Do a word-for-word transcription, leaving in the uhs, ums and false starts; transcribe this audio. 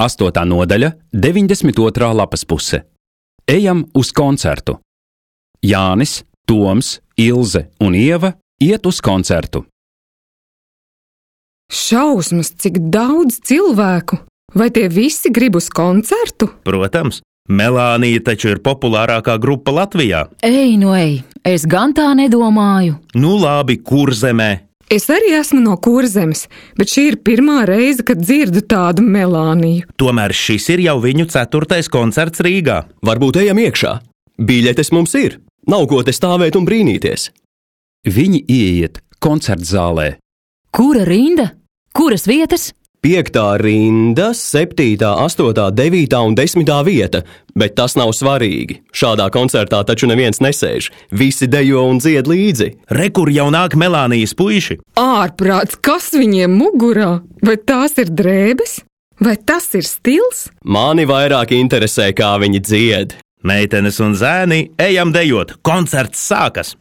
astotā nodaļa, deviņdesmit otrā lapas puse. Ejam uz koncertu. Jānis, Toms, Ilze un Ieva iet uz koncertu. Šausmas, cik daudz cilvēku! Vai tie visi grib uz koncertu? Protams, Melānija taču ir populārākā grupa Latvijā. Ej, nu ej, es gan tā nedomāju. Nu labi, Kurzemē. Es arī esmu no Kurzemes, bet šī ir pirmā reize, kad dzirdu tādu Melāniju. Tomēr šis ir jau viņu ceturtais koncerts Rīgā. Varbūt ejam iekšā. Biļetes mums ir. Nav ko te stāvēt un brīnīties. Viņi ieiet koncertzālē. Kura rinda? Kuras vietas? Piektā rinda, septītā, astotā, devītā un desmitā vieta, bet tas nav svarīgi. Šādā koncertā taču neviens nesēž. Visi dejo un dzied līdzi. Re, kur jau nāk Melānijas puiši. Ārprāts, kas viņiem mugurā? Vai tās ir drēbes? Vai tas ir stils? Mani vairāk interesē, kā viņi dzied. Meitenes un zēni, ejam dejot, koncerts sākas!